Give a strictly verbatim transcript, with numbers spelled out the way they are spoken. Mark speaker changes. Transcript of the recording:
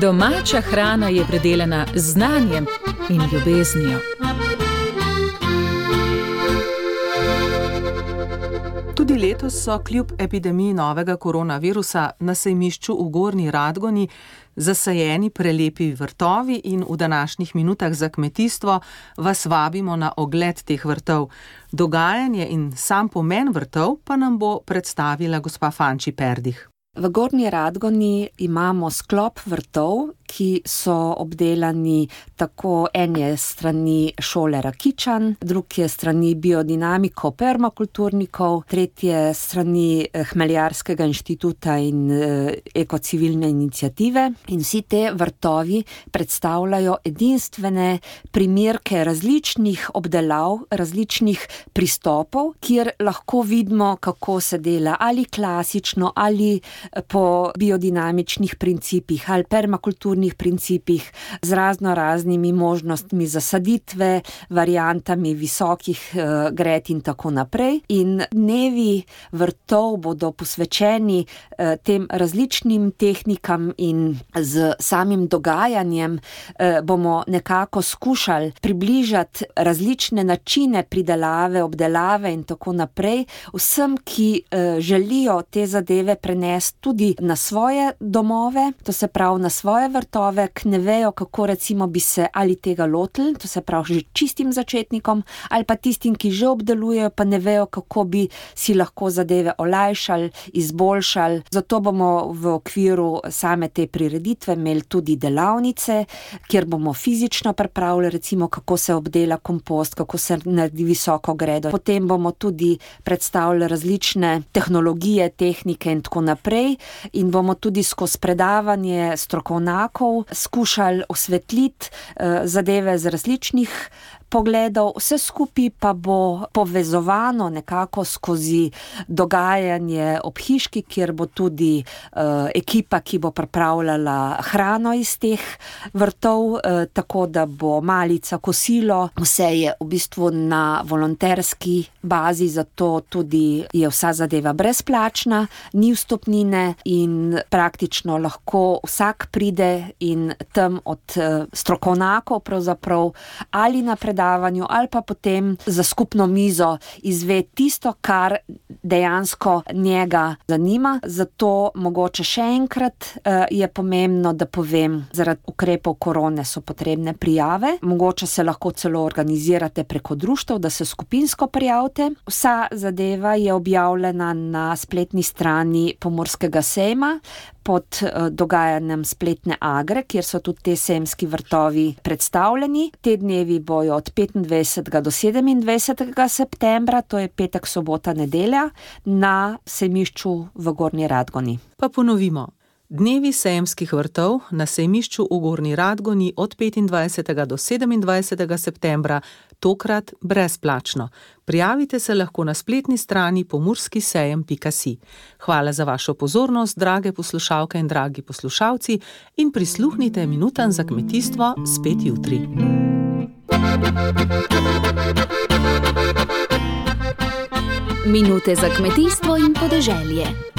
Speaker 1: Domača hrana je predelana z znanjem in ljubeznijo.
Speaker 2: Tudi letos so kljub epidemiji novega koronavirusa na sejmišču v Gornji Radgoni zasajeni prelepi vrtovi in v današnjih minutah za kmetijstvo vas vabimo na ogled teh vrtov. Dogajanje in sam pomen vrtov pa nam bo predstavila gospa Fanči Perdih.
Speaker 3: V Gornji Radgoni imamo sklop vrtov, ki so obdelani tako ene strani šole Rakičan, druge strani biodinamiko permakulturnikov, tretje strani Hmeljarskega inštituta in ekocivilne iniciative. In vsi te vrtovi predstavljajo edinstvene primerke različnih obdelav, različnih pristopov, kjer lahko vidimo, kako se dela ali klasično, ali po biodinamičnih principih ali permakulturnih principih, z razno raznimi možnostmi zasaditve, variantami visokih uh, gred in tako naprej. In dnevi vrtov bodo posvečeni uh, tem različnim tehnikam in z samim dogajanjem uh, bomo nekako skušali približati različne načine pridelave, obdelave in tako naprej vsem, ki uh, želijo te zadeve prenesti tudi na svoje domove, to se pravi na svoje vrtove, k ne vejo, kako recimo bi se ali tega lotili, to se pravi že čistim začetnikom, ali pa tistim, ki že obdelujejo, pa ne vejo, kako bi si lahko zadeve olajšali, izboljšali. Zato bomo v okviru same te prireditve imeli tudi delavnice, kjer bomo fizično pripravili recimo, kako se obdela kompost, kako se naredi visoko gredo. Potem bomo tudi predstavili različne tehnologije, tehnike in tako naprej. In bomo tudi skozi predavanje strokovnjakov skušali osvetliti uh, zadeve z različnih pogledov, vse skupaj pa bo povezovano nekako skozi dogajanje ob hiški, kjer bo tudi uh, ekipa, ki bo pripravljala hrano iz teh vrtov, uh, tako da bo malica, kosilo, vse je v bistvu na volonterski bazi, zato tudi je vsa zadeva brezplačna, ni vstopnine in praktično lahko vsak pride in tam od uh, strokovnjakov pravzaprav ali na predavanju ali pa potem za skupno mizo izve tisto, kar dejansko njega zanima. Zato mogoče še enkrat uh, je pomembno, da povem, zaradi ukrepov korone so potrebne prijave. Mogoče se lahko celo organizirate preko društev, da se skupinsko prijavite. Vsa zadeva je objavljena na spletni strani Pomurskega sejma pod uh, dogajanjem spletne Agre, kjer so tudi te sejmski vrtovi predstavljeni. Te dnevi bojo od petindvajsetega do sedemindvajsetega septembra, to je petek, sobota, nedelja, na sejmišču v Gornji Radgoni.
Speaker 2: Pa ponovimo. Dnevi sejemskih vrtov na sejmišču v Gornji Radgoni od petindvajsetega do sedemindvajsetega septembra, tokrat brezplačno. Prijavite se lahko na spletni strani pomurski sejem pika si. Hvala za vašo pozornost, drage poslušalke in dragi poslušalci, in prisluhnite minutam za kmetijstvo spet jutri.
Speaker 1: Minute za kmetijstvo in podeželje.